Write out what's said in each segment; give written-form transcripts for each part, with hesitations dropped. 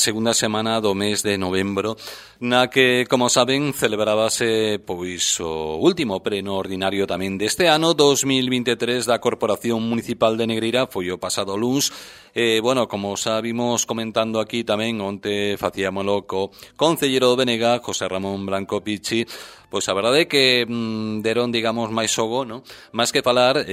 segunda semana do mes de novembro, na que, como saben, celebrábase pois o último pleno ordinario tamén deste ano 2023 da Corporación Municipal de Negreira. Foi o pasado luns. Bueno, como xa vimos comentando aquí tamén, onte facíamolo co concelleiro do Benega, José Ramón Blanco Pichi. Pois a verdade é que deron, digamos, máis xogo, non? Máis que falar,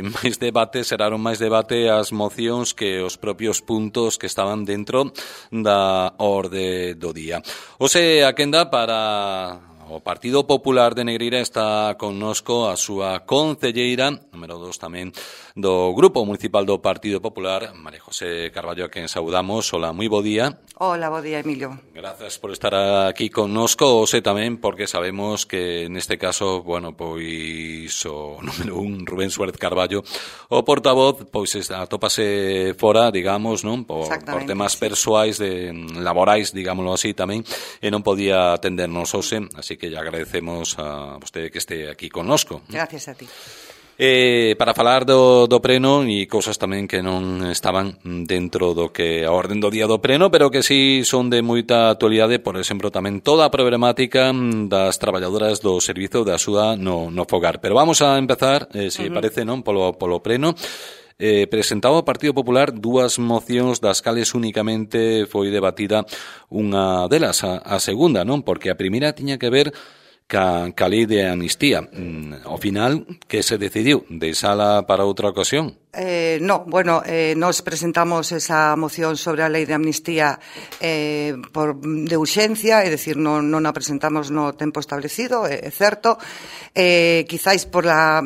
máis debate, seraron máis debate as mocións que os propios puntos que estaban dentro da orde do día. Ose a quenda para o Partido Popular de Negreira está connosco a súa concelleira, número 2 tamén, do Grupo Municipal do Partido Popular, María José Carballo, a quen saudamos. Hola, moi bo día. Hola, bo día, Emilio. Grazas por estar aquí connosco, ose tamén porque sabemos que neste caso, bueno, pois o número 1, Rubén Suárez Carballo, o portavoz, pois atópase fora, digamos, non? Por temas persoais, laborais, digámoslo así tamén, e non podía atendernos hoxe, así que ya agradecemos a vostede que este aquí connosco. Gracias a ti. Para falar do pleno e cousas tamén que non estaban dentro do que a orden do día do pleno, pero que sí son de moita actualidade, por exemplo, tamén toda a problemática das traballadoras do servizo de axuda no fogar. Pero vamos a empezar, se parece, non, polo pleno. Presentaba o Partido Popular dúas mocións das cales únicamente foi debatida unha delas, a segunda, non? Porque a primeira tiña que ver ca lei de amnistía. Ao final, que se decidiu? Deixala para outra ocasión? Nos presentamos esa moción sobre a lei de amnistía de urxencia, é dicir, non a presentamos no tempo establecido, é certo. Quizáis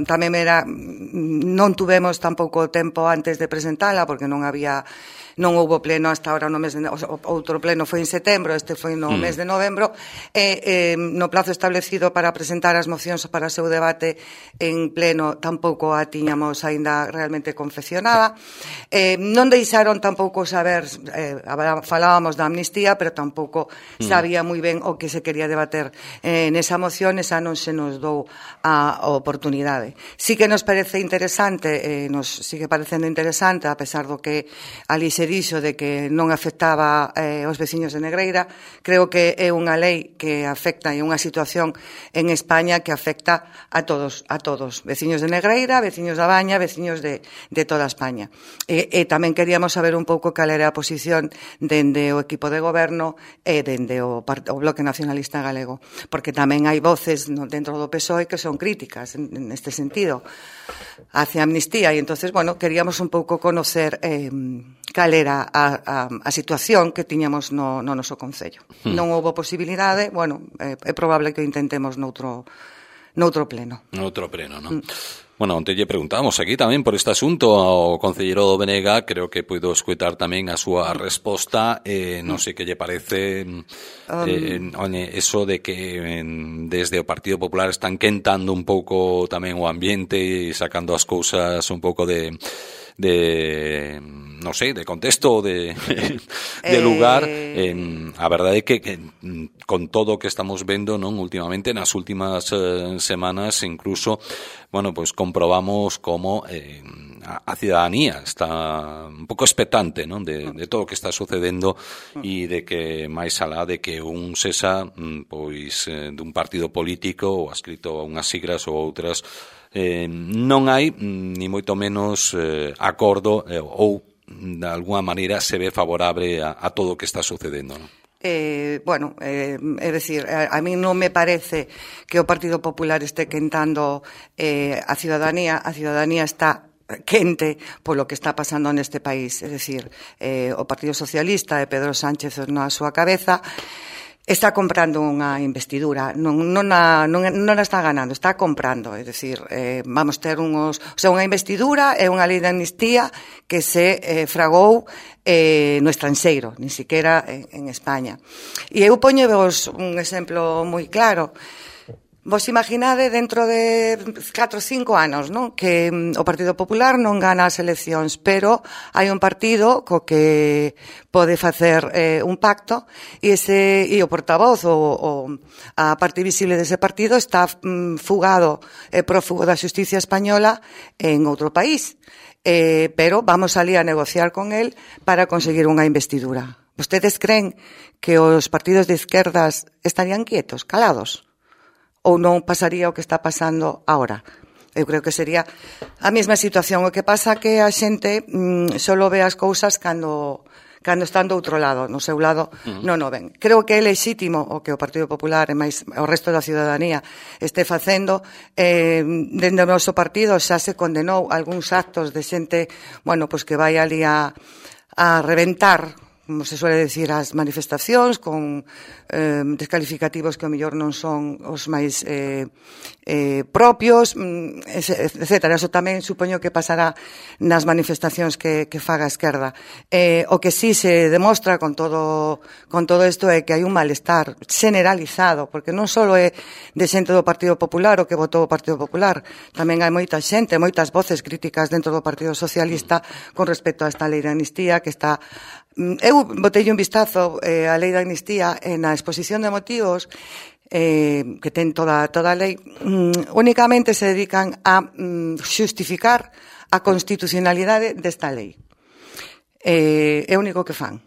tamén non tuvemos tampouco tempo antes de presentala, porque non houbo pleno hasta ahora no mes de outro pleno foi en setembro, este foi no mes de novembro. No plazo establecido para presentar as mocións para o seu debate en pleno tampouco a tiñamos aínda realmente confeccionada. Non deixaron tampouco saber, falábamos da amnistía, pero tampouco sabía moi ben o que se quería debater nesa moción. Esa non se nos dou a oportunidade. Sí que nos parece interesante, nos sigue parecendo interesante, a pesar do que ali se dixo de que non afectaba aos veciños de Negreira. Creo que é unha lei que afecta, e unha situación en España que afecta a todos, veciños de Negreira, veciños da Baña, veciños de toda España. E tamén queríamos saber un pouco cal era a posición dende o equipo de goberno e dende o Bloque Nacionalista Galego, porque tamén hai voces dentro do PSOE que son críticas neste sentido hacia a amnistía, e entonces, bueno, queríamos un pouco conocer cal era a situación que tiñamos no noso concello. Non houbo posibilidade, bueno, é probable que o intentemos noutro pleno. Noutro pleno, non? Bueno, onte lle preguntamos aquí tamén por este asunto ao concelleiro do Benega. Creo que puido escutar tamén a súa resposta. Non sei que lle parece eso de que desde o Partido Popular están quentando un pouco tamén o ambiente e sacando as cousas un pouco de non sei, de contexto, de lugar. A verdade é que con todo o que estamos vendo, non, últimamente, nas últimas semanas, incluso, bueno, pues comprobamos como a cidadanía está un pouco expectante, non, de todo o que está sucedendo, e de que máis alá de que un sexa pois dun partido político ou adscrito a unhas siglas ou outras, non hai ni moito menos acordo ou de alguna maneira se ve favorable a todo o que está sucedendo, non? É dicir, a mí non me parece que o Partido Popular este quentando a cidadanía está quente polo que está pasando neste país. É dicir, o Partido Socialista e Pedro Sánchez na súa cabeza está comprando unha investidura, non a está ganando, está comprando, é dicir, vamos ter unha investidura e unha lei de amnistía que se fragou no estranxeiro, nin siquiera en España. E eu poñevos un exemplo moi claro. Vos imaginade dentro de 4 ou 5 anos, non? Que o Partido Popular non gana as eleccións, pero hai un partido co que pode facer un pacto, e o portavoz ou a parte visible dese partido está fugado, prófugo da xusticia española en outro país. Pero vamos ali a negociar con él para conseguir unha investidura. Vostedes creen que os partidos de izquierdas estarían quietos, calados? Ou non pasaría o que está pasando agora? Eu creo que sería a mesma situación. O que pasa que a xente solo ve as cousas cando están do outro lado, no seu lado non o ven. Creo que é lexítimo o que o Partido Popular e máis o resto da ciudadanía este facendo. Dende o noso partido xa se condenou algúns actos de xente, bueno, pois que vai ali a reventar, como se suele decir, as manifestacións con descalificativos que ao mellor non son os máis propios, etcétera. Eso tamén supoño que pasará nas manifestacións que faga a esquerda. O que sí se demostra con todo isto é que hai un malestar generalizado, porque non só é de xente do Partido Popular o que votou o Partido Popular, tamén hai moita xente, moitas voces críticas dentro do Partido Socialista con respecto a esta lei de amnistía que está... Eu botei un vistazo á lei de amnistía na exposición de motivos que ten toda a lei. Únicamente se dedican a xustificar a constitucionalidade desta lei. É o único que fan.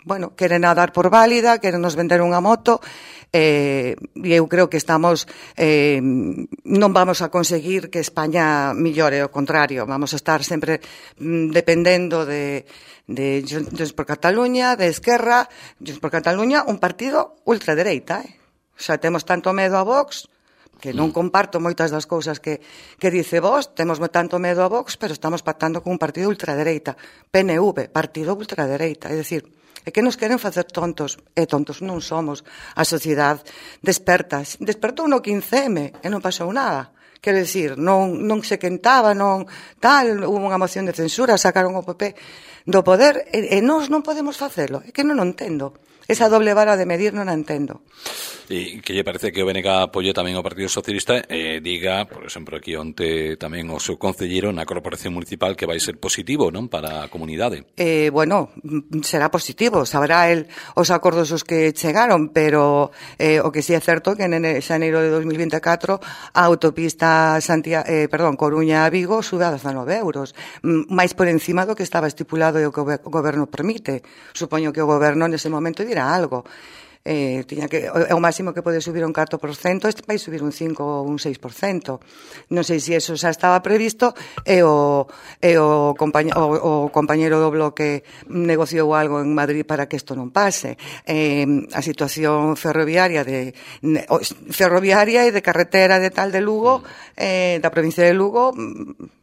Bueno, queren a dar por válida, queren nos vender unha moto, e eu creo que estamos non vamos a conseguir que España millore, ao contrario, vamos a estar sempre dependendo de Junts per Catalunya, de Esquerra. Junts per Catalunya, un partido ultradereita, xa temos tanto medo a Vox, que non comparto moitas das cousas que dice Vox, temos tanto medo a Vox, pero estamos pactando con un partido ultradereita. PNV, partido ultradereita, é dicir, é que nos queren facer tontos, e tontos non somos. A sociedade despertou no 15M e non pasou nada. Quero dicir, non se quentaba, non tal, hubo unha moción de censura, sacaron o PP do poder, e nós non podemos facelo. É que non o entendo. Esa doble vara de medir non a entendo. E que lle parece que o BNG apoie tamén o Partido Socialista e diga, por exemplo, aquí onte tamén o seu concelleiro na Corporación Municipal que vai ser positivo, non, para a comunidade. Bueno, será positivo, sabrá el os acordos os que chegaron, pero o que sí é certo que en xaneiro de 2024 a autopista Coruña-Vigo sube a 19 euros, máis por encima do que estaba estipulado e o que o goberno permite. Supoño que o goberno nese momento dirá algo. Tiña que o máximo que pode subir un 4%, este vai subir un 5 ou un 6%. Non sei se eso xa estaba previsto e o compañeiro do bloque negociou algo en Madrid para que isto non pase. A situación ferroviaria e de carretera de tal de Lugo, da provincia de Lugo,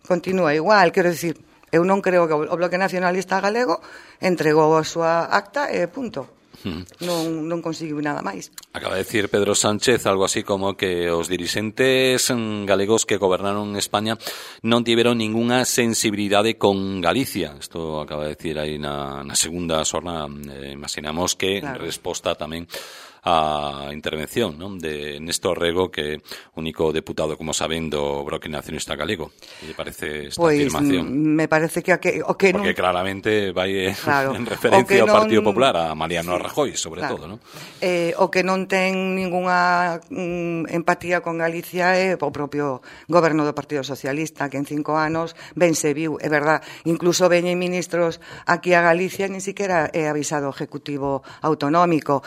continúa igual. Quero dicir, eu non creo que o Bloque Nacionalista Galego entregou a súa acta e punto. Non conseguiu nada máis. Acaba de decir Pedro Sánchez algo así como que os dirixentes galegos que gobernaron España non tiveron ningunha sensibilidade con Galicia. Isto acaba de decir aí na segunda xornada. Imaginamos que en resposta tamén a intervención, non, de Néstor Rego, que único deputado, como saben, do Bloque Nacionalista Galego. Que lle parece esta afirmación? Me parece que porque claramente vai en referencia ao Partido Popular, a Mariano Rajoy, sobre todo, non? O que non ten ningunha empatía con Galicia é o propio goberno do Partido Socialista, que en 5 anos ben se viu, é verdad, incluso veñen ministros aquí a Galicia, nin siquiera é avisado o Ejecutivo Autonómico.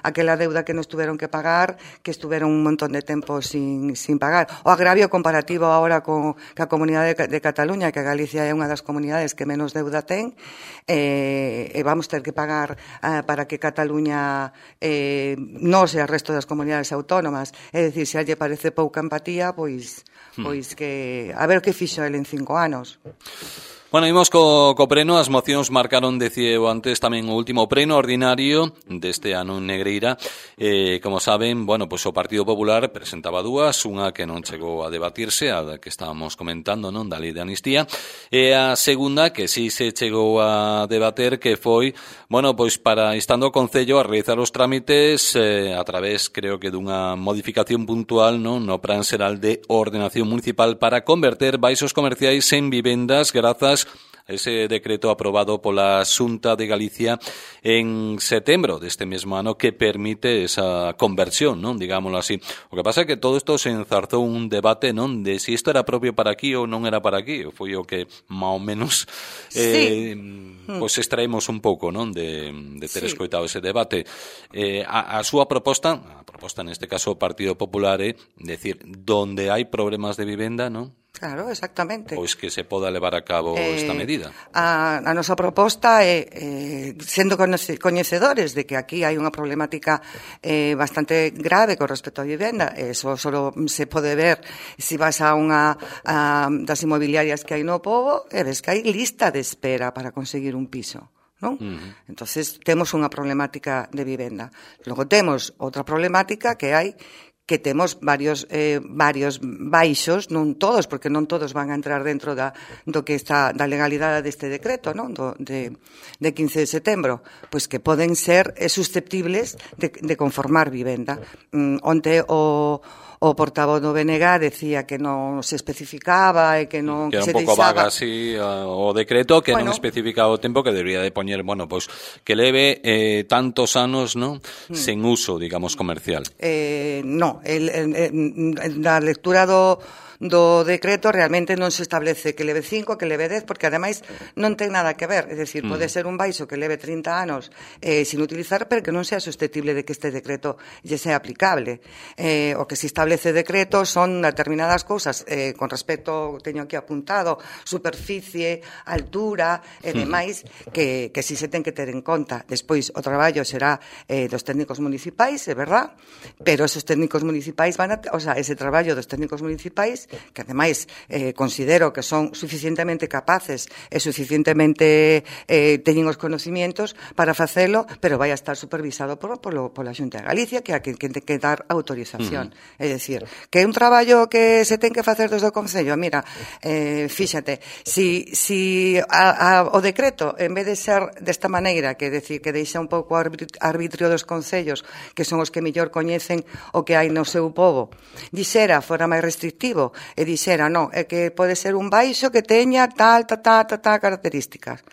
Aquela deuda que nos tuveron que pagar, que estuveron un montón de tempo sin pagar. O agravio comparativo agora ca Comunidade de Cataluña, que Galicia é unha das comunidades que menos deuda ten, e vamos ter que pagar para que Cataluña non se o resto das comunidades autónomas. É dicir, se a lle parece pouca empatía, pois que a ver que fixo el en 5 anos. Bueno, imos co pleno. As mocións marcaron, decía eu antes, tamén o último pleno ordinario deste ano en Negreira. Como saben, bueno, pois o Partido Popular presentaba dúas, unha que non chegou a debatirse, a que estábamos comentando, non, da lei de amnistía, e a segunda que sí se chegou a debater, que foi, bueno, pois para instando o Concello a realizar os trámites a través, creo que dunha modificación puntual, non, no Plan Xeral de Ordenación Municipal para converter baixos comerciais en vivendas grazas ese decreto aprobado pola Xunta de Galicia en setembro deste mesmo ano que permite esa conversión, non? Digámoslo así. O que pasa é que todo isto se enzarzou un debate, non? De si isto era propio para aquí ou non era para aquí. Foi o que, máis ou menos, pois extraemos un pouco, non? De ter escoitado ese debate. A súa proposta neste caso o Partido Popular é decir, donde hai problemas de vivenda, non? Claro, exactamente. Pois que se poda levar a cabo esta medida. A nosa proposta é, sendo coñecedores de que aquí hai unha problemática bastante grave con respecto á vivenda, eso só se pode ver se vas a unha das inmobiliarias que hai no pobo e ves que hai lista de espera para conseguir un piso, non? Entonces temos unha problemática de vivenda. Logo temos outra problemática que hai que temos varios baixos, non todos, porque non todos van a entrar dentro do que está da legalidade deste decreto, non? De 15 de setembro, pois que poden ser susceptibles de conformar vivenda. Onte o portavoz do BNG decía que non se especificaba e que non que era se un pouco deixaba... vaga así o decreto que non especificaba o tempo que debería de poñer, bueno, pois que leve tantos anos, non? Sen uso, digamos, comercial. Non, na lectura do decreto realmente non se establece que leve 5, que leve 10, porque ademais non ten nada que ver, é dicir, pode ser un baixo que leve 30 anos sin utilizar, pero que non sea susceptible de que este decreto lle sea aplicable. O que se establece decreto son determinadas cousas con respecto, teño aquí apuntado, superficie, altura e demais, que si se ten que ter en conta. Despois o traballo será dos técnicos municipais, é verdad, pero esos técnicos municipais ese traballo dos técnicos municipais que ademais considero que son suficientemente capaces e suficientemente teñen os conocimientos para facelo, pero vai a estar supervisado pola Xunta de Galicia, que é a que ten que dar autorización. É dicir, que é un traballo que se ten que facer desde o Concello. Mira, fíxate, si o decreto, en vez de ser desta maneira, que decir que deixa un pouco arbitrio dos concellos, que son os que mellor coñecen o que hai no seu pobo, dixera, fora máis restrictivo, e dixera, non, é que pode ser un baixo que teña tal características.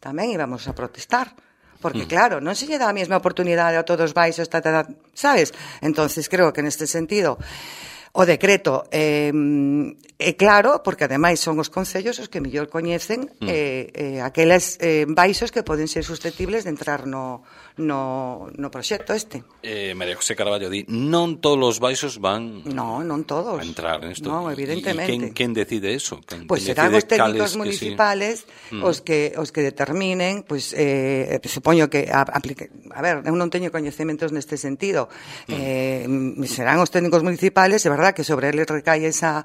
Tamén íbamos a protestar. Porque, claro, non se lle dá a mesma oportunidade a todos os baixos, sabes? Entonces, creo que neste sentido o decreto é claro, porque ademais son os concellos os que mellor coñecen aqueles baixos que poden ser susceptibles de entrar no proxecto este. María José Carballo di, non todos os baixos van non todos. A entrar nesto. Non, evidentemente. E quen decide eso? Pois serán os técnicos municipales os que determinen, pois supoño que a ver, eu non teño coñecementos neste sentido. Serán os técnicos municipales, é verdade que sobre eles recai ese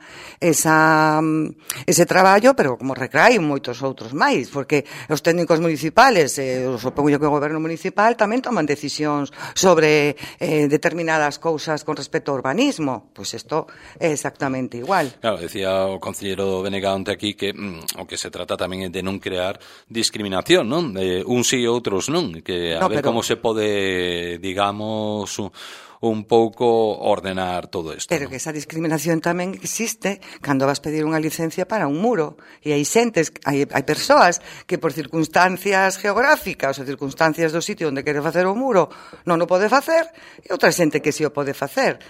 traballo, pero como recaen moitos outros máis, porque os técnicos municipales, supongo que o goberno municipal tamén toman decisións sobre determinadas cousas con respecto ao urbanismo. Pois isto é exactamente igual. Claro, decía o concelleiro Benegante aquí que o que se trata tamén é de non crear discriminación, non? Uns sí e outros non, que a ver como se pode, digamos, un pouco ordenar todo isto. Pero que esa discriminación tamén existe cando vas pedir unha licencia para un muro. E hai xentes, hai persoas que por circunstancias geográficas ou circunstancias do sitio onde quere facer o muro non o pode facer, e outra xente que si o pode facer.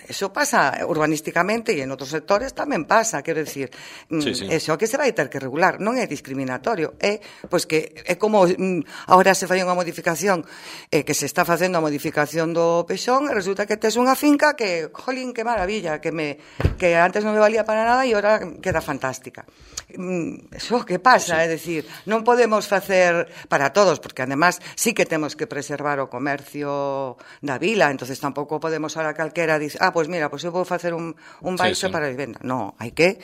Eso pasa urbanísticamente e en outros sectores tamén pasa, quero dicir, eso que se vai ter que regular non é discriminatorio, é pois que é como agora se fai unha modificación que se está facendo a modificación do Peixón, e resulta que tes unha finca que, jolín, que maravilla, que antes non me valía para nada e ahora queda fantástica. Eso que pasa, é dicir, non podemos facer para todos, porque además sí que temos que preservar o comercio da vila, entonces tampouco podemos ahora calquera dice, pois mira, pois eu vou facer un baixo para a vivenda. Non, hai que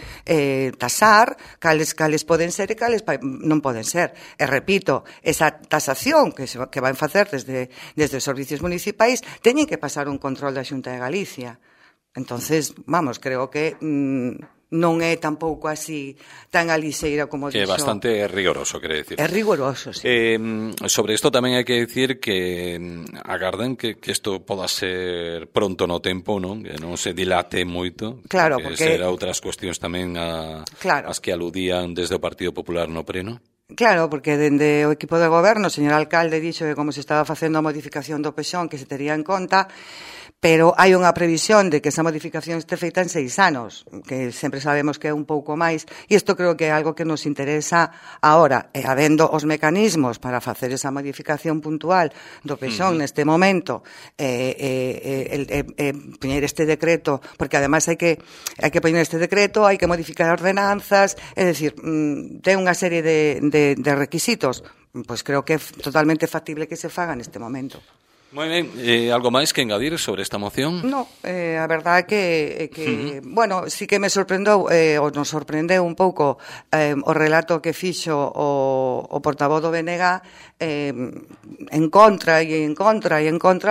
tasar cales poden ser e cales non poden ser. E repito, esa tasación que van facer desde os servicios municipais teñen que pasar un control da Xunta de Galicia. Entonces, vamos, creo que non é tampouco así tan alixeira como que dixo. É bastante rigoroso, quere decir. É rigoroso, sí. Sobre isto tamén hai que decir que agarden que isto poda ser pronto no tempo, non? Que non se dilate moito. Claro, porque será outras cuestións tamén claro, as que aludían desde o Partido Popular no pleno. Claro, porque dende o equipo de goberno, o señor alcalde dixo que como se estaba facendo a modificación do PEXón que se tería en conta, pero hai unha previsión de que esa modificación este feita en 6 anos, que sempre sabemos que é un pouco máis, e isto creo que é algo que nos interesa agora, e habendo os mecanismos para facer esa modificación puntual do PEXón neste momento, poñer este decreto, porque ademais hai que poñer este decreto, hai que modificar ordenanzas, é dicir, ten unha serie de requisitos, pois creo que é totalmente factible que se faga neste momento. Moi ben, algo máis que engadir sobre esta moción? No, a verdade é que bueno, sí que me sorprendeu, ou nos sorprendeu un pouco o relato que fixo o portavoz do BNG en contra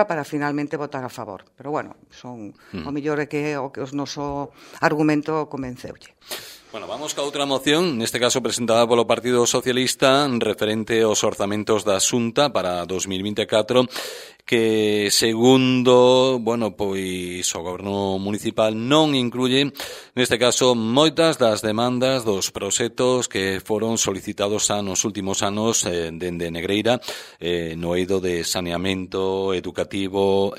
para finalmente votar a favor. Pero bueno, son o mellor é que o noso argumento convenceulle. Bueno, vamos ca outra moción, neste caso presentada polo Partido Socialista, referente aos orzamentos da Xunta para 2024, que segundo, pois o goberno municipal non incluye, neste caso, moitas das demandas dos proxectos que foron solicitados nos últimos anos dende Negreira, no eido de saneamento educativo,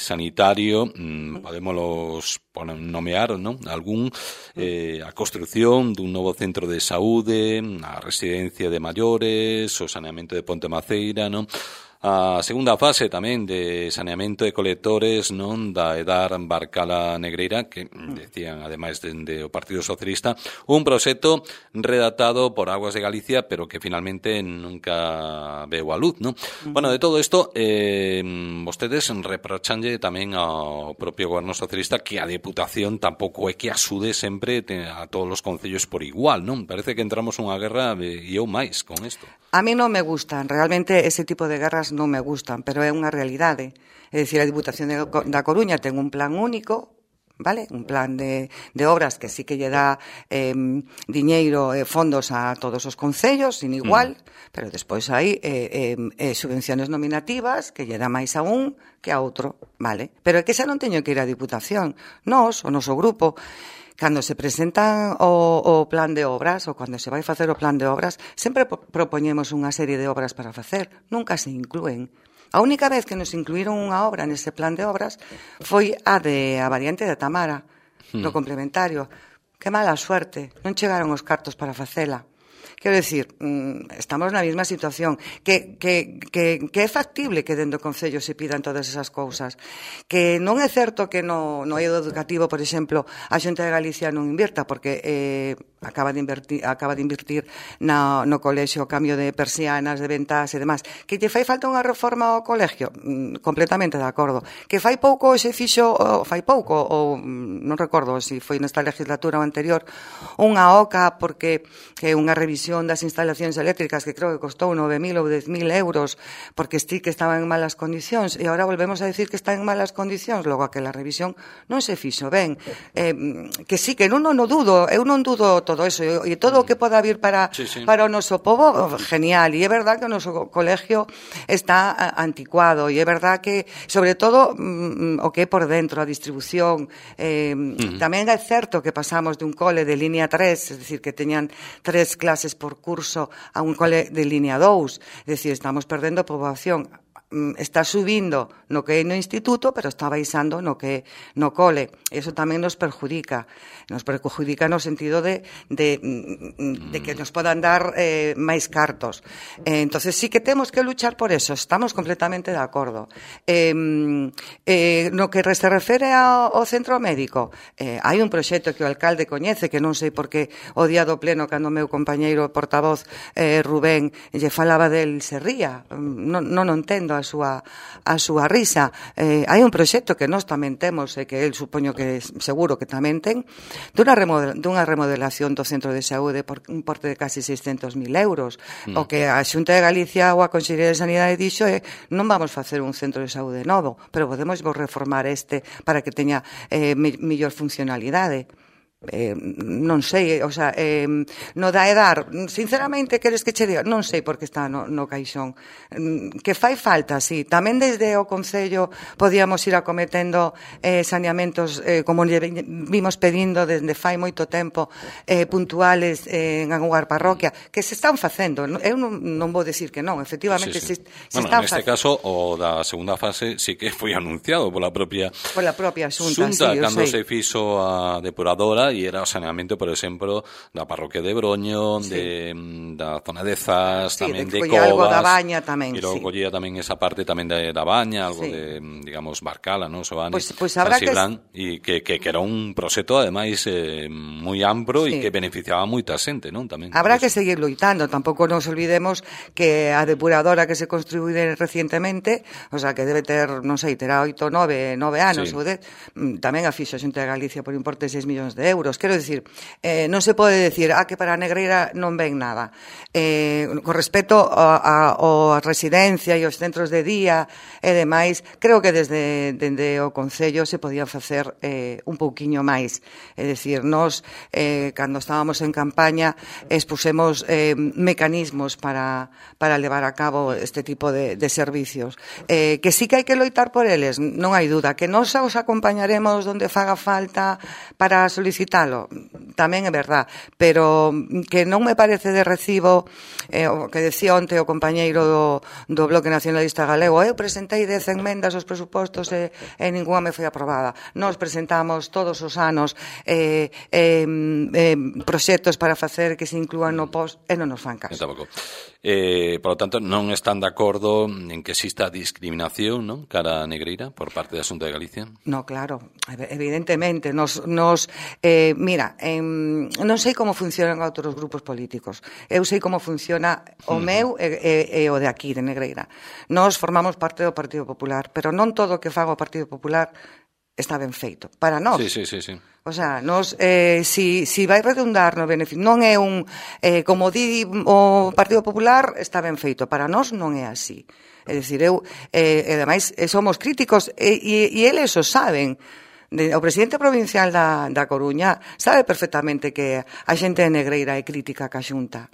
sanitario, podémolos nomear, non? Algún, a construción dun novo centro de saúde, a residencia de maiores, o saneamento de Ponte Maceira, non? A segunda fase tamén de saneamento de colectores, non, da Edar Barcala Negreira, que decían, ademais, dende o Partido Socialista, un proxecto redactado por Aguas de Galicia, pero que finalmente nunca veu a luz, non? Bueno, de todo isto, vostedes reprochanlle tamén ao propio goberno socialista que a Deputación tampouco é que asude sempre a todos os concellos por igual, non? Parece que entramos unha guerra e eu máis con isto. A mí non me gustan, realmente ese tipo de guerras non me gustan, pero é unha realidade. É dicir, a Diputación da Coruña ten un plan único, vale? Un plan de obras que sí que lle dá diñeiro e fondos a todos os concellos, sin igual, pero despois hai subvenciones nominativas que lle dá máis a un que a outro, vale? Pero é que xa non teño que ir á Diputación. Nós, o noso grupo, cando se presentan o plan de obras ou cando se vai facer o plan de obras, sempre propoñemos unha serie de obras para facer, nunca se inclúen. A única vez que nos incluíron unha obra nese plan de obras foi a variante de Tamara, no complementario. Que mala suerte, non chegaron os cartos para facela. Quero dicir, estamos na mesma situación, que é factible que dentro do Concello se pidan todas esas cousas, que non é certo que no eido educativo, por exemplo, a Xunta de Galicia non invirta, porque acaba de invertir no colexio o cambio de persianas, de ventas e demás. Que lle fai falta unha reforma ao colegio? Completamente de acordo. Que fai pouco se fixo, ou non recordo se foi nesta legislatura ou anterior, unha OCA, porque que é unha revisión das instalacións eléctricas que creo que costou 9.000 ou 10.000 euros porque sí que estaban en malas condicións e agora volvemos a decir que están en malas condicións, logo aquela revisión non se fixo ben. Que sí, que non dudo, eu non dudo todo eso e todo o que poda vir para o noso povo, genial, e é verdad que o noso colegio está anticuado e é verdad que, sobre todo, o que é por dentro, a distribución, tamén é certo que pasamos de un cole de línea 3, es decir, que teñan 3 clases por curso a un cole de línea 2, es decir, estamos perdendo poboación. Está subindo no que é no instituto, pero está baixando no que no cole. Eso tamén nos perjudica no sentido de que nos podan dar máis cartos. Entonces sí que temos que luchar por eso, estamos completamente de acordo. No que se refere ao centro médico, hai un proxecto que o alcalde coñece, que non sei por que o día do pleno, cando o meu compañeiro portavoz Rubén lle falaba del se ría, non entendo a súa risa. Hai un proxecto que nós tamén temos e que el supoño que seguro que tamén ten dunha remodelación do centro de saúde por un porte de casi 600.000 euros. O que a Xunta de Galicia ou a Consellería de Sanidade dixo é non vamos facer un centro de saúde novo, pero podemos reformar este para que teña mellor funcionalidade. non sei, o sea, no da edar, sinceramente, queres que che diga? Non sei por que está no caixón. Que fai falta, sí. Tamén desde o Concello podíamos ir acometendo saneamentos, como vimos pedindo desde fai moito tempo, puntuales en alguna parroquia, que se están facendo. Eu non vou decir que non, efectivamente se están facendo. Neste caso, o da segunda fase sí que foi anunciado pola propia Xunta, sí, cando se fixo a depuradora e era o saneamento, por exemplo, da parroquia de Broño, da zona de Zas, tamén de Covas, algo da Baña tamén, e logo collía tamén esa parte tamén da Baña, algo de, digamos, Barcala, non? Soani, habrá e que era un proxecto, ademais, moi amplo e que beneficiaba a moita xente, non? Tamén. Habrá que seguir loitando, tampouco nos olvidemos que a depuradora que se construiu recientemente, o sea, que debe ter, non sei, terá 8, 9 anos, ou 10, tamén a fixo a Xunta de Galicia por importe de 6 millóns de euros. Quero dicir, non se pode decir que para a Negreira non ven nada. Con respecto a residencia e os centros de día e demais, creo que desde o Concello se podían facer un pouquiño máis. É dicir, nós, cando estábamos en campaña, expusemos mecanismos para levar a cabo este tipo de servicios. Que sí que hai que loitar por eles, non hai duda. Que nós os acompañaremos donde faga falta para solicitalo, tamén é verdad, pero que non me parece de recibo o que decía onte o compañeiro do Bloque Nacionalista Galego. Eu presentei 10 enmendas aos presupostos e ninguna me foi aprobada. Nós presentamos todos os anos proxectos para facer que se inclúan no post e non nos fan caso. Por lo tanto, non están de acordo en que exista discriminación, non, cara a Negreira por parte da Xunta de Galicia? No, claro, evidentemente. Mira, non sei como funcionan outros grupos políticos. Eu sei como funciona o meu e o de aquí, de Negreira. Nós formamos parte do Partido Popular, pero non todo o que faga o Partido Popular está ben feito. Para nós. Sí. O sea, nós, si vai redundar no beneficio, non é como di o Partido Popular, está ben feito. Para nós non é así. É dicir, ademais, somos críticos e eles o saben. O presidente provincial da Coruña sabe perfectamente que a xente de Negreira é crítica ca Xunta.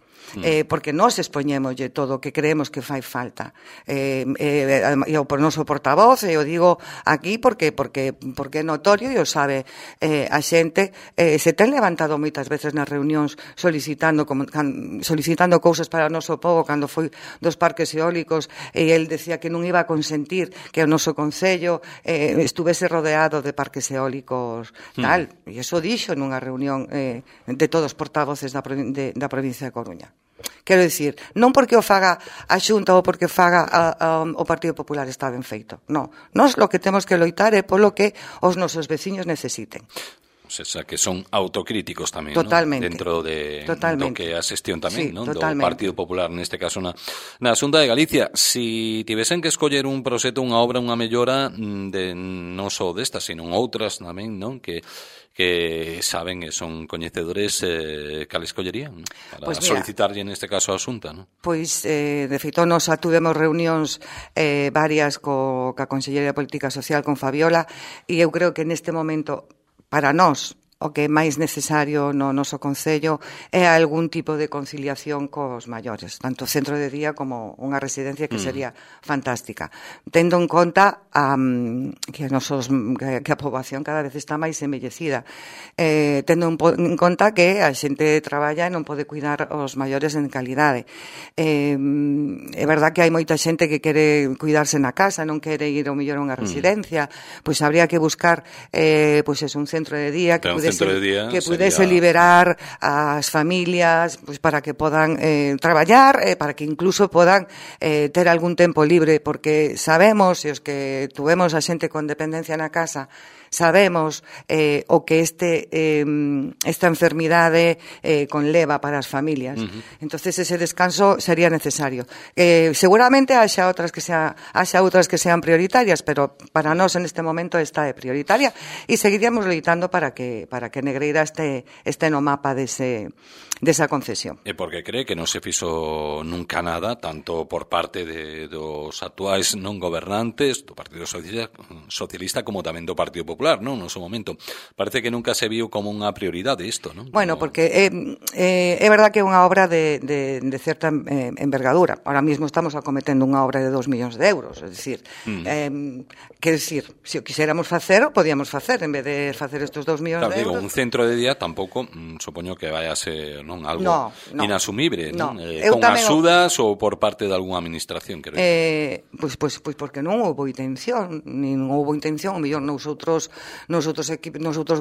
Porque nós expoñémoslle todo o que creemos que fai falta. E o noso portavoz, e o digo aquí porque é notorio e o sabe a xente, se ten levantado moitas veces nas reunións solicitando cousas para o noso povo, cando foi dos parques eólicos, e el decía que non iba a consentir que o noso Concello estuvese rodeado de parques eólicos tal, e iso dixo nunha reunión de todos os portavoces da provincia de Coruña. Quero dicir, non porque o faga a Xunta ou porque faga o Partido Popular está ben feito. Non, nós lo que temos que loitar é polo que os nosos veciños necesiten. O sea, que son autocríticos tamén, totalmente, ¿no? Dentro do que a xestión tamén, ¿no? Do Partido Popular, neste caso na Xunta de Galicia. Si tivesen que escoller un proxecto, unha obra, unha mellora, non só destas, sino outras tamén, non? Que saben e son coñecedores, cal escollerían para solicitarlle neste caso a Xunta, non? Pois, de feito, nos tuvemos reunións varias ca Consellería de Política Social con Fabiola, e eu creo que neste momento, para nós, o que é máis necesario no noso Concello é algún tipo de conciliación cos maiores, tanto centro de día como unha residencia que sería fantástica, tendo en conta que a poboación cada vez está máis envellecida, tendo en conta que a xente traballa e non pode cuidar os maiores en calidade. É verdad que hai moita xente que quere cuidarse na casa, non quere ir ao mellor a unha residencia, pois habría que buscar un centro de día que pudese liberar as familias para que podan traballar, para que incluso podan ter algún tempo libre, porque sabemos, e os que tuvemos a xente con dependencia na casa, sabemos o que esta enfermidade conleva para as familias. Entonces ese descanso sería necesario. Seguramente haxa outras que sean prioritarias, pero para nós en este momento esta é prioritaria e seguiríamos loitando para que Negreira este no mapa dese desa concesión. E porque cree que non se fixo nunca nada, tanto por parte dos actuais non gobernantes, do Partido Socialista como tamén do Partido Popular, non? No seu momento. Parece que nunca se viu como unha prioridade isto, non? Bueno, porque é verdad que é unha obra de certa envergadura. Ahora mismo estamos acometendo unha obra de 2 millóns de euros, é dicir, quer dicir, se o quixéramos facer, o podíamos facer, en vez de facer estes 2 millóns de euros. Digo, un centro de día tampouco, supoño que vai a ser, non, algo inasumible, non? Con axudas ou por parte de algunha administración, quero dicir. Pois porque non houbo intención, nin houbo intención, o mellor nos outros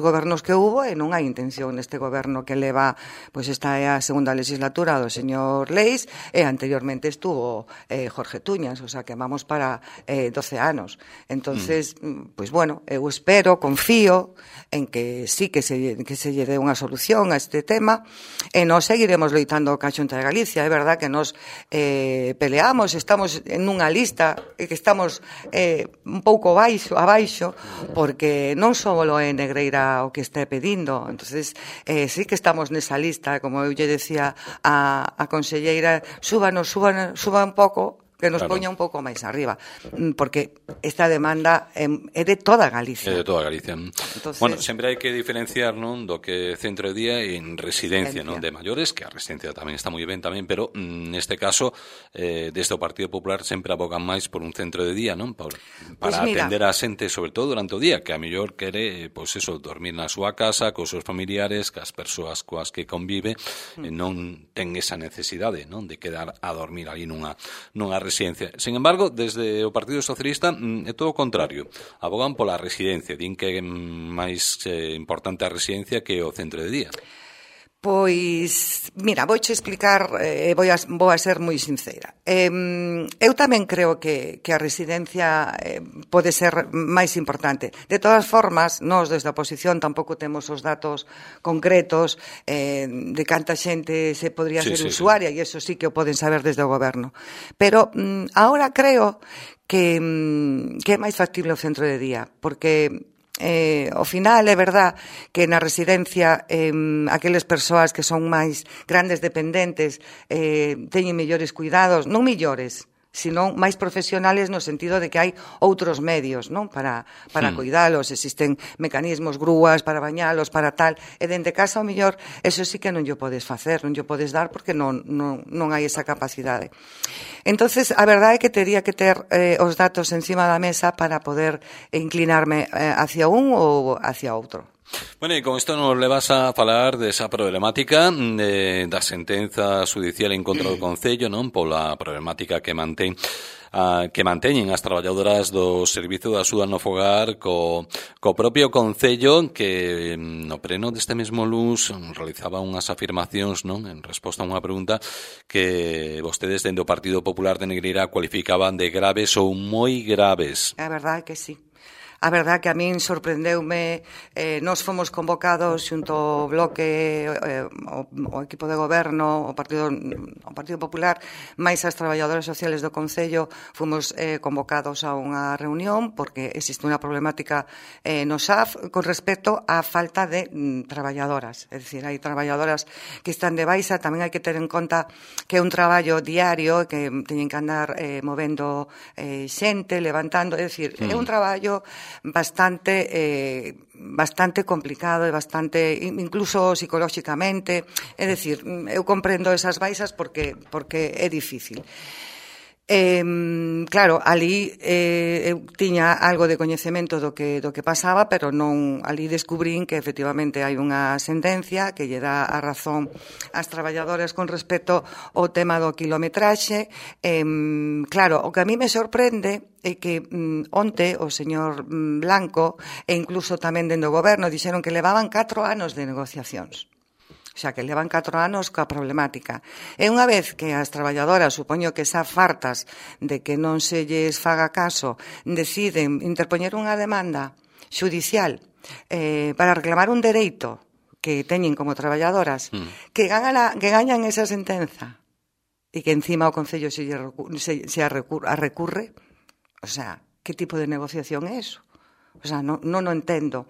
gobernos que houbo, e non hai intención neste goberno que leva, pois esta é a segunda legislatura do señor Leis, e anteriormente estuvo Jorge Tuñas, o sea que vamos para 12 anos. Entonces, pois bueno, eu espero, confío en que sí que se lle dé unha solución a este tema, e nós seguiremos loitando ca Xunta de Galicia. É verdad que nós peleamos, estamos en unha lista que estamos un pouco abaixo, porque non só é Negreira o que está pedindo. Entonces, sí que estamos nesa lista, como eu lle decía a conselleira, suba un pouco, que nos poña un pouco máis arriba, porque esta demanda é de toda Galicia. É de toda Galicia. Entonces, bueno, sempre hai que diferenciar, non, do que centro de día en residencia, non, de maiores, que a residencia tamén está moi ben tamén, pero neste caso, desde o Partido Popular sempre abogan máis por un centro de día, non, para atender a xente, sobre todo durante o día, que a mellor quere, pois eso, dormir na súa casa, cos seus familiares, cas persoas coas que convive, non ten esa necesidade, non, de quedar a dormir ali nunha residencia. Sin embargo, desde o Partido Socialista é todo o contrario. Abogan pola residencia, din que é máis importante a residencia que o centro de día. Pois, mira, vouche explicar, vou a ser moi sincera. Eu tamén creo que a residencia pode ser máis importante. De todas formas, nós desde a oposición tampouco temos os datos concretos de canta xente se podría ser usuaria, e iso sí que o poden saber desde o goberno. Pero agora creo que é máis factible o centro de día, porque ao final é verdad que na residencia aqueles persoas que son máis grandes dependentes teñen mellores cuidados, non mellores, sino máis profesionales no sentido de que hai outros medios, non, para cuidalos, existen mecanismos, grúas para bañalos, para tal, e dende casa ao mellor eso sí que non llo podes facer, non llo podes dar porque non hai esa capacidade. Entonces, a verdade é que tería que ter os datos encima da mesa para poder inclinarme hacia un ou hacia outro. Bueno, e con isto nos levas a falar desa problemática da sentenza judicial en contra do Concello, non, pola problemática que manteñen as traballadoras do Servizo de Axuda no Fogar co propio Concello, que no pleno deste mesmo luns realizaba unhas afirmacións, non, en resposta a unha pregunta que vostedes dende o Partido Popular de Negreira cualificaban de graves ou moi graves. É verdade que sí. A verdade que a min sorprendeume, nós fomos convocados xunto ao bloque, o equipo de goberno, o Partido Popular, máis as traballadoras sociales do Concello, fomos convocados a unha reunión porque existe unha problemática no SAF con respecto á falta de traballadoras. É dicir, hai traballadoras que están de baixa, tamén hai que ter en conta que é un traballo diario, que teñen que andar movendo xente, levantando, é dicir, é un traballo bastante complicado e bastante, incluso psicolóxicamente, é dicir, eu comprendo esas baixas porque é difícil. Claro, ali eu tiña algo de coñecemento do que pasaba, pero non, ali descubrín que efectivamente hai unha sentencia que lle dá a razón ás traballadoras con respecto ao tema do quilometraxe. Claro, o que a mí me sorprende é que onte o señor Blanco e incluso tamén dende o goberno dixeron que levaban 4 anos de negociacións. Xa que levan 4 anos coa problemática. E unha vez que as traballadoras, supoño que xa fartas de que non se lles faga caso, deciden interpoñer unha demanda xudicial para reclamar un dereito que teñen como traballadoras, que gañan esa sentenza e que encima o Concello se a recurre, o sea, que tipo de negociación é eso? O sea, non o entendo.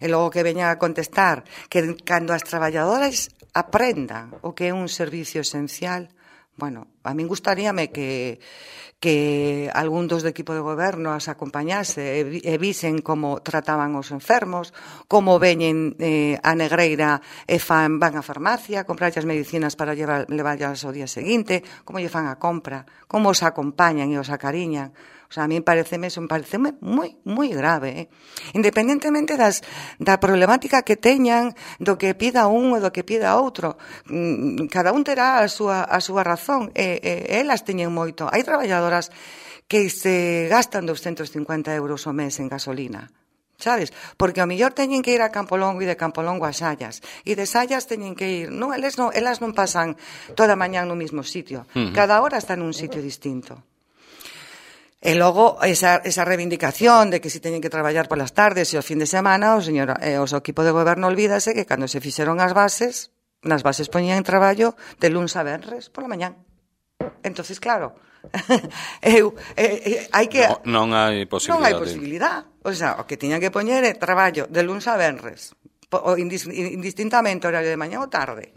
E logo que veñan a contestar que cando as traballadoras aprendan o que é un servicio esencial. Bueno, a min gustaríame que algún dos do equipo de goberno as acompañase e visen como trataban os enfermos, como veñen a Negreira e van á farmacia, comprar as medicinas para levarlas ao día seguinte, como lle fan a compra, como os acompañan e os acariñan. O sea, a mí pareceme moi, moi grave. Independentemente da problemática que teñan, do que pida un e do que pida outro. Cada un terá a súa razón. Elas teñen moito. Hai traballadoras que se gastan 250 euros ao mes en gasolina. Sabes? Porque ao mellor teñen que ir a Campolongo e de Campolongo a Sallas. E de Sallas teñen que ir... Non, elas non pasan toda a mañán no mesmo sitio. Cada hora está nun sitio distinto. E logo, esa reivindicación de que si teñen que traballar polas tardes e os fin de semana, o equipo de goberno olvídase que cando se fixeron as bases, nas bases poñían traballo de luns a venres pola mañán. Entonces, claro, hai que... Non hai posibilidade. Non hai posibilidade. O sea, o que tiñan que poñer é traballo de luns a venres, indistintamente horario de mañá ou tarde.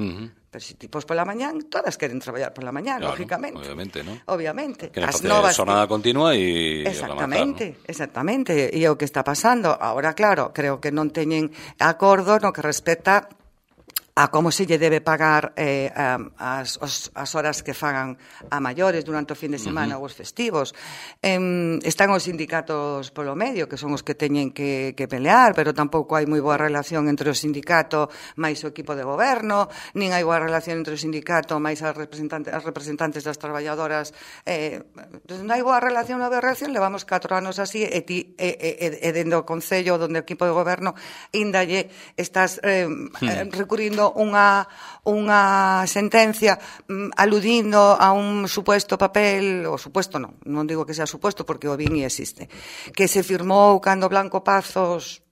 Pero se tipos pola mañán, todas queren traballar pola mañán, claro, lógicamente. Obviamente, ¿no? Obviamente. Queren facer xornada continua e exactamente, exactamente. E o que está pasando, ahora, claro, creo que non teñen acordo no que respecta a como se lle debe pagar as horas que fagan a maiores durante o fin de semana ou os festivos. Están os sindicatos polo medio, que son os que teñen que pelear, pero tampouco hai moi boa relación entre o sindicato máis o equipo de goberno, nin hai boa relación entre o sindicato máis as representantes das traballadoras. Non hai boa relación, levamos 4 anos así, e dende o Concello, donde o equipo de goberno, índalle estás recurrindo unha sentencia aludindo a un suposto papel, o suposto non digo que sea suposto porque o vin e existe, que se firmou cando Blanco Pazos,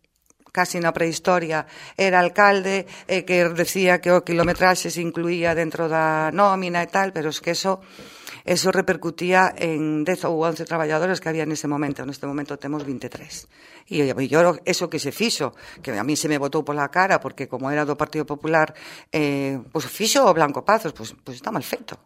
casi na prehistoria, era alcalde, e que decía que o kilometraxe se incluía dentro da nómina e tal, pero es que eso repercutía en 10 ou 11 traballadores que había nese momento. Neste momento temos 23. E yo eso que se fixo, que a mí se me botou pola cara, porque como era do Partido Popular, pois fixo o Blanco Pazos, pois está mal feito.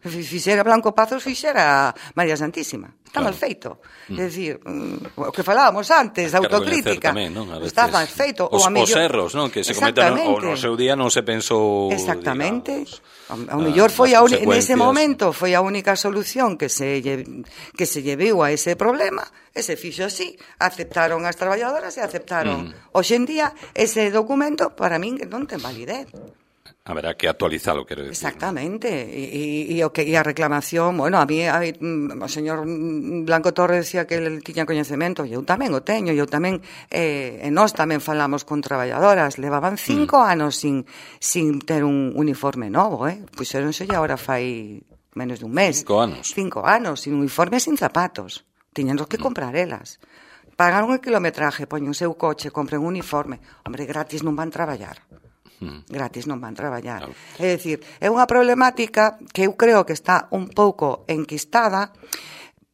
Fixera Blanco Pazos, fixera María Santísima. Está mal feito. É dicir, o que falábamos antes, da autocrítica. Tamén, non? Está mal feito. Os erros, non? Que se cometen ou no seu día non se pensou... Exactamente. Ao mellor foi nese momento foi a única solución que se llevou a ese problema, e se fixo así, aceptaron as traballadoras e aceptaron. Hoxe en día, ese documento, para min, non ten validez. Haberá que actualizalo, quero decir. Exactamente. E a reclamación, bueno, a mí o señor Blanco Torres decía que ele tiña coñecemento, e eu tamén o teño, e eu tamén, e nós tamén falamos con traballadoras, levaban 5 anos sin ter un uniforme novo, puxéronse e agora fai menos dun mes. 5 anos. 5 anos, sin uniforme, sin zapatos. Tiñenos que comprar elas. Pagaron o kilometraje, poñen o seu coche, compren un uniforme. Hombre, gratis non van traballar. Gratis non van traballar. Claro. É dicir, é unha problemática que eu creo que está un pouco enquistada,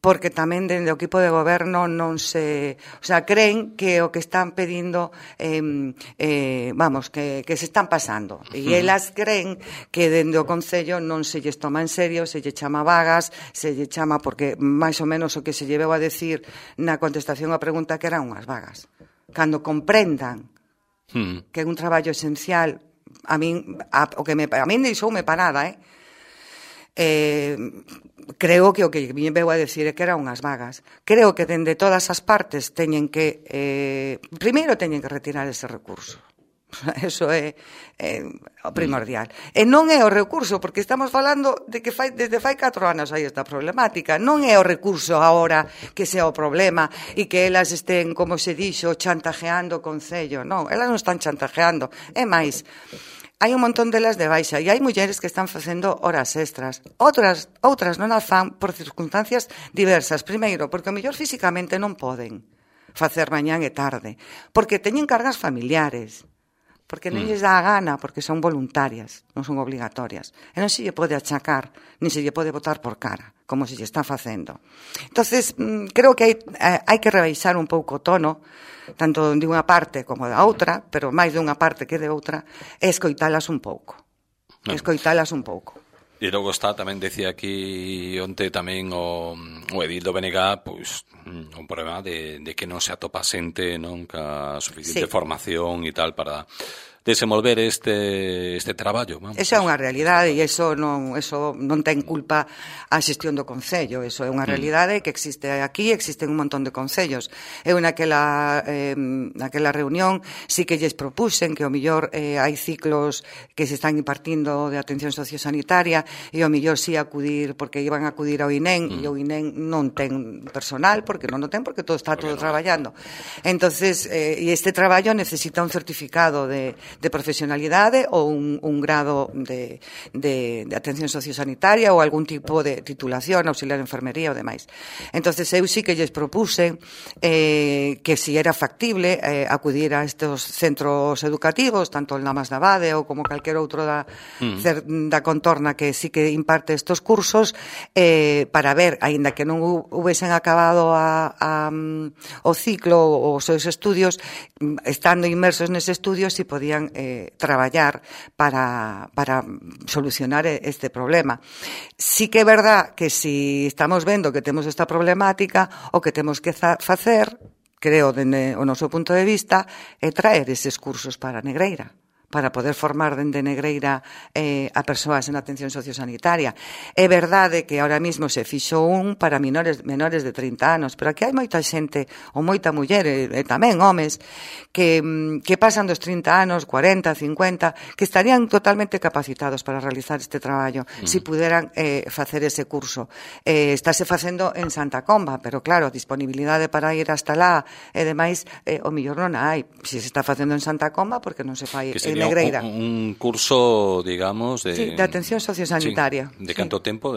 porque tamén dende o equipo de goberno non se... O sea, creen que o que están pedindo, que se están pasando. E elas creen que dende o Concello non se lles toma en serio, se lle chama vagas, se lle chama, porque máis ou menos o que se lleveu a decir na contestación á pregunta que eran unhas vagas. Cando comprendan que é un traballo esencial, a min deixoume parada, creo que o que me veu a decir é que eran unhas vagas. Creo que dende todas as partes teñen que primeiro teñen que retirar ese recurso. Eso é o primordial. E non é o recurso, porque estamos falando de que desde fai 4 anos hai esta problemática. Non é o recurso agora que sea o problema e que elas estén, como se dixo, chantajeando o Concello. Non, elas non están chantajeando. É máis, hai un montón delas de baixa e hai mulleres que están facendo horas extras. Outras non as fan por circunstancias diversas. Primeiro, porque o mellor físicamente non poden facer mañán e tarde, porque teñen cargas familiares, porque non lles dá a gana, porque son voluntarias, non son obligatorias. E non se lle pode achacar, nin se lle pode botar por cara, como se lle está facendo. Entonces, creo que hai que rebaixar un pouco o tono, tanto de unha parte como da outra, pero máis de unha parte que de outra, e escoitalas un pouco. escoitalas un pouco. E logo está, tamén decía aquí onte tamén o edil do BNG, pois un problema de que non se atopa xente, non, ca suficiente formación e tal para desenvolver este traballo. Vamos. Esa é unha realidade e eso non ten culpa a xestión do Concello. Eso é unha realidade que existe aquí, existen un montón de concellos. Eu naquela reunión sí que lles propuxen que o millor hai ciclos que se están impartindo de atención sociosanitaria e o millor sí acudir, porque iban a acudir ao INEM e o INEM non ten personal, porque non o ten, porque todo está todo traballando. Entonces, e este traballo necesita un certificado de profesionalidade ou un grado de atención sociosanitaria ou algún tipo de titulación, auxiliar de enfermería ou demais. Entonces eu sí que lles propuse que si era factible acudir a estes centros educativos, tanto el Lamas de Abade ou como calquer outro da contorna que sí que imparte estos cursos, para ver, aínda que non hubiesen acabado o ciclo ou os seus estudios, estando inmersos nese estudio, si podían traballar para solucionar este problema. Sí que é verdad que si estamos vendo que temos esta problemática, o que temos que facer, creo, dende o noso punto de vista, é traer eses cursos para Negreira, para poder formar dende Negreira a persoas en atención sociosanitaria. É verdade que ahora mismo se fixo un para menores de 30 anos, pero aquí hai moita xente, ou moita muller, e tamén homes, que pasan dos 30 anos, 40, 50, que estarían totalmente capacitados para realizar este traballo, se puderan facer ese curso. Estáse facendo en Santa Comba, pero claro, disponibilidade para ir hasta lá e demais, o millor non hai. Se se está facendo en Santa Comba, porque non se fai en Negreira. Un curso, digamos, de atención sociosanitaria. Sí. De canto tempo?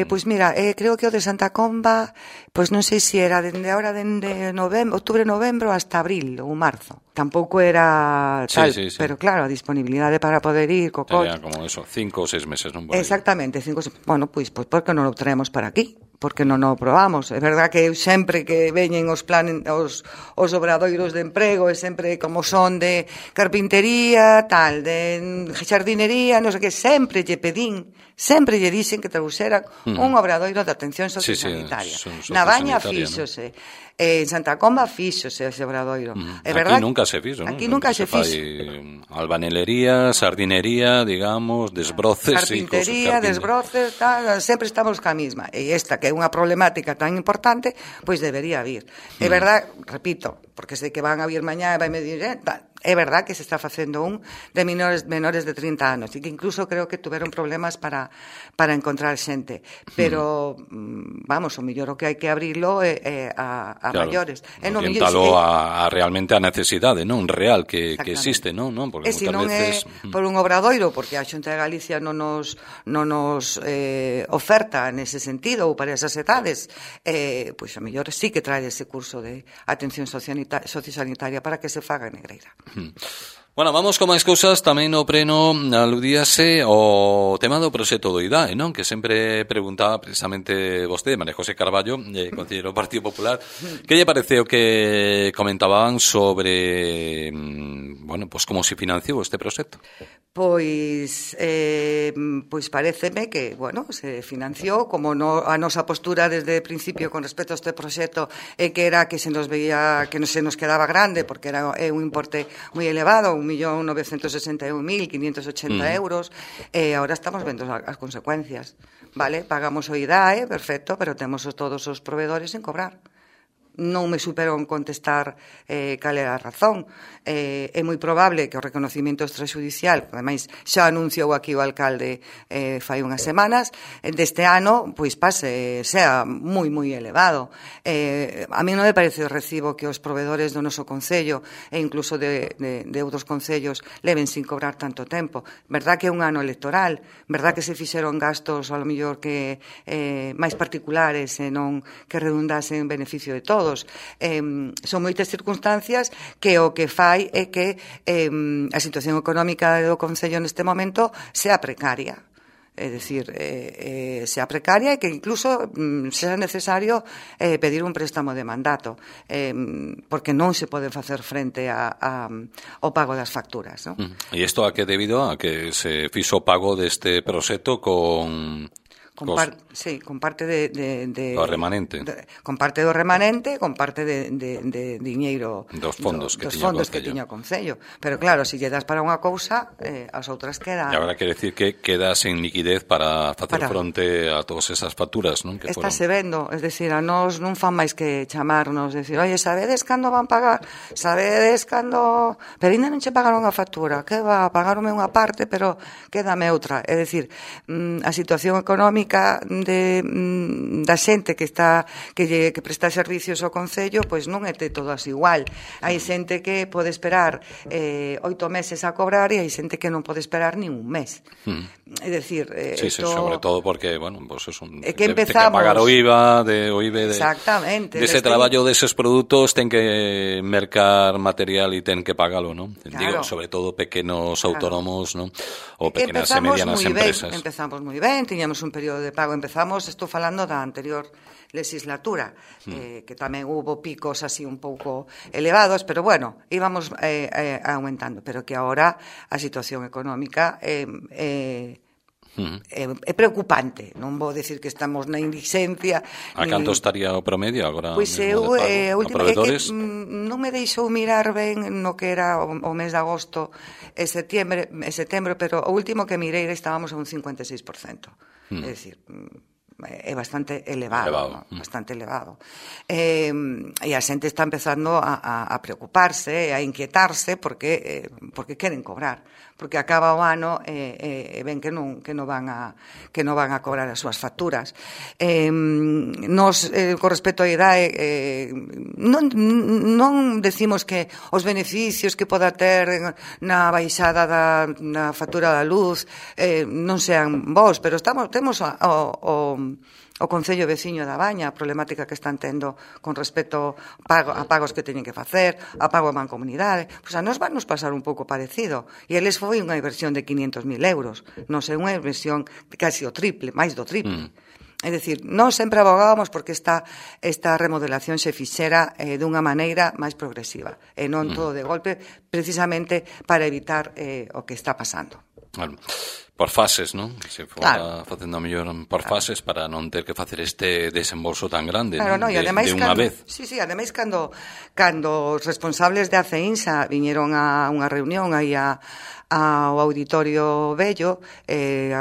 Pois mira, creo que o de Santa Comba, pois non sei se era dende ahora, dende outubro, novembro, hasta abril ou marzo. Tampouco era tal, sí. Pero claro, a disponibilidade para poder ir, Era como eso, 5 ou 6 meses, non? Exactamente, 5 ou 6. Bueno, pois por que non o traemos para aquí? Porque non o probamos. É verdad que eu sempre que veñen os obradoiros de emprego, é sempre como son de carpintería, tal, de xardinería, non sei que, sempre lle dixen que trouxeran un obradoiro de atención sociosanitaria. Na Baña fíxose, en Santa Comba fíxose ese obradoiro. Aquí nunca se fixo, non? Aquí nunca se fixo. Albanelería, sardinería, digamos, desbroces. Carpintería, desbroces, tal, sempre estamos ca mesma. E esta, que é unha problemática tan importante, pois debería vir. É verdad, repito, porque sei que van a vir mañá e vai me dir, é verdad que se está facendo un de menores de 30 anos e que incluso creo que tuveron problemas para encontrar xente, pero vamos, o mellor o que hai que abrilo a maiores. Orientalo a realmente a necesidade, non? Real que existe, non? Porque se non é por un obradoiro, porque a Xunta de Galicia non nos oferta nese sentido ou para esas edades, pois a mellor sí que trae ese curso de atención sociosanitaria para que se faga en Negreira. Bueno, vamos con máis cousas. Tamén no pleno aludíase o tema do proxecto do IDAE, non? Que sempre preguntaba precisamente vostede, María José Carballo, conselleiro do Partido Popular, que lle pareceu que comentaban sobre, bueno, pues como se financiou este proxecto? Pois paréceme que, bueno, se financiou, como a nosa postura desde o principio con respecto a este proxecto é que era que se nos veía que non se nos quedaba grande, porque era un importe moi elevado, 1.961.580 euros, e agora estamos vendo as consecuencias, vale? Pagamos o IDAE, perfecto, pero temos todos os proveedores sen cobrar. Non me supero en contestar cal é a razón. É moi probable que o reconocimiento extrajudicial, ademais xa anunciou aquí o alcalde fai unhas semanas, deste ano, pois sea moi elevado. A mí non me parece recibo que os proveedores do noso concello e incluso de outros concellos leven sin cobrar tanto tempo. Verdad que é un ano electoral, verdad que se fixeron gastos ao mellor que máis particulares e non que redundasen en beneficio de todos. Son moitas circunstancias que o que fai é que a situación económica do Concello neste momento sea precaria. é dicir, sea precaria e que incluso sea necesario pedir un préstamo de mandato, porque non se pode facer frente ao pago das facturas, non? E isto a que debido a que se fixo o pago deste proxecto con parte de o remanente. Con parte do remanente, con parte de diñeiro dos fondos que tiña o Concello. Pero claro, se lle das para unha cousa, as outras quedan. E agora quere decir que queda sen liquidez para facer fronte a todas esas facturas, non? Estáse vendo, es decir, a nós non fan máis que chamarnos, decir, oye, sabedes cando van pagar? Sabedes cando... Pero ainda non che pagaron a factura, que va, pagaronme unha parte, pero quédame outra. É dicir, a situación económica da xente que presta servicios ao Concello, pois non é todas igual. Hai xente que pode esperar 8 meses a cobrar e hai xente que non pode esperar nin un mes. É dicir, sobre todo porque, bueno, pues es que empezamos que pagar o IVA de exactamente, dese traballo deses produtos, ten que mercar material e ten que pagalo, non? Digo, sobre todo pequenos autónomos, non? Ou pequenas e medianas empresas. Empezamos moi ben, tiñamos un período de pago, estou falando da anterior legislatura, que tamén hubo picos así un pouco elevados, pero bueno, íbamos aumentando, pero que agora a situación económica é preocupante. Non vou decir que estamos na indixencia. A canto estaría o promedio agora? Pois eu, non me deixou mirar ben no que era o mes de agosto e setembro, pero o último que mirei estábamos a un 56%. É dicir, é bastante elevado. Bastante elevado. E a xente está empezando a preocuparse, a inquietarse porque queren cobrar, porque acaba o ano e ven que non van a cobrar as súas facturas. Nos, con respecto á idade, non decimos que os beneficios que poda ter na baixada na factura da luz non sean bons, pero temos o Concello veciño da Baña, a problemática que están tendo con respecto a pagos que teñen que facer, a pago a mancomunidade. Pois a nos van nos pasar un pouco parecido. E eles foi unha inversión de 500.000 euros. Non sei, unha inversión casi o triple, máis do triple. É dicir, nós sempre abogábamos porque esta remodelación se fixera dunha maneira máis progresiva e non todo de golpe, precisamente para evitar o que está pasando. Claro. Por fases, non? Se fora facendo a mellor por fases para non ter que facer este desembolso tan grande, claro, non? De unha vez. Sí, ademais, cando os responsables de ACEINSA viñeron a unha reunión aí ao Auditorio Vello,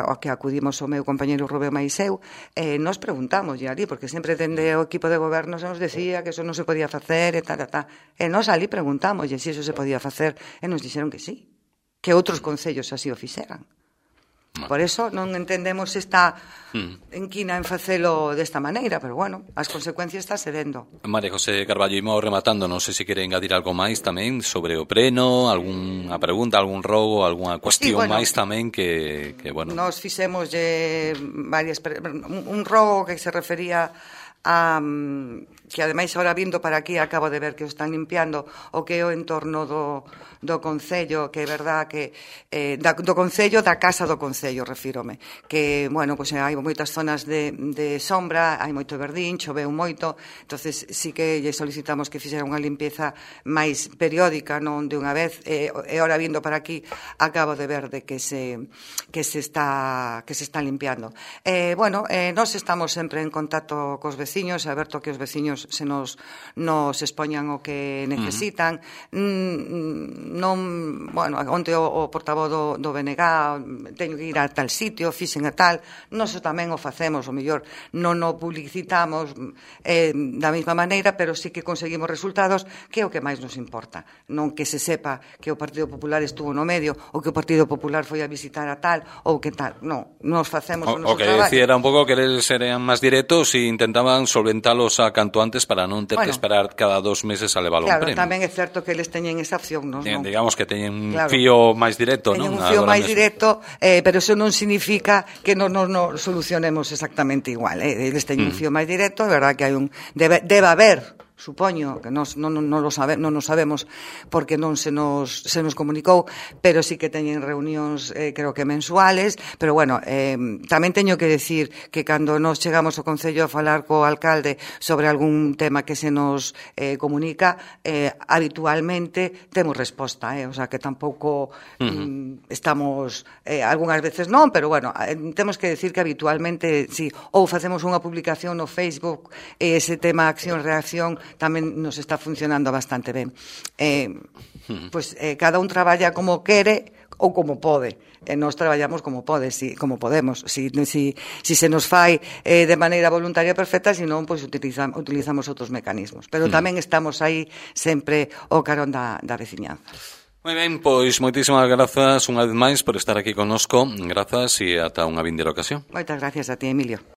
ao que acudimos o meu compañeiro Rubén Maiseu, nos preguntamos ali, porque sempre dende o equipo de goberno se nos decía que eso non se podía facer e tal. E nos ali preguntamos se eso se podía facer e nos dixeron que sí, que outros concellos así o fixeran. Por eso non entendemos esta enquina en facelo desta maneira, pero bueno, as consecuencias está se vendo. María José Carballo, imos rematando, non sei se quere engadir algo máis tamén sobre o preno, algunha pregunta, algún rogo, algunha cuestión máis tamén que bueno. Nos fixemos un rogo que se refería que ademais agora vindo para aquí acabo de ver que o están limpiando o que é o entorno do Concello, que é verdad que do Concello, da Casa do Concello refírome, que, bueno, pois hai moitas zonas de sombra, hai moito verdín, choveu moito, entonces sí que lle solicitamos que fixera unha limpieza máis periódica, non de unha vez, e agora vindo para aquí acabo de ver de que se está limpiando. Bueno, nós estamos sempre en contacto cos veciños, a ver que os veciños se nos expoñan o que necesitan. Bueno, onte o portavoz do BNG teño que ir a tal sitio, fixen a tal, nós tamén o facemos, o mellor non o publicitamos da mesma maneira, pero sí que conseguimos resultados, que é o que máis nos importa, non que se sepa que o Partido Popular estuvo no medio, ou que o Partido Popular foi a visitar a tal, ou que tal, non, nos facemos o noso traballo. O que decía era un pouco que eles serían máis directos e intentaban solventalos a canto antes para non ter que esperar cada 2 meses a levar un premio. Claro, tamén é certo que eles teñen esa opción, non? Digamos que teñen un fío máis directo, non? Teñen un fío máis directo, pero eso non significa que non solucionemos exactamente igual. Eles teñen un fío máis directo, é verdad que hai debe haber supoño que non nos sabemos porque non se nos comunicou, pero sí que teñen reunións creo que mensuales, pero bueno, tamén teño que decir que cando nos chegamos ao Concello a falar co alcalde sobre algún tema que se nos comunica, habitualmente temos resposta, o sea que tampouco estamos, algunhas veces non, pero bueno, temos que decir que habitualmente sí, ou facemos unha publicación no Facebook e ese tema acción-reacción tamén nos está funcionando bastante ben. Pois cada un traballa como quere ou como pode. Nós traballamos como podemos. Si se nos fai de maneira voluntaria perfecta, senón pois utilizamos outros mecanismos. Pero tamén estamos aí sempre ao carón da veciñanza. Moi ben, pois moitísimas grazas unha vez máis por estar aquí connosco. Grazas e ata unha vindeira ocasión. Moitas gracias a ti, Emilio.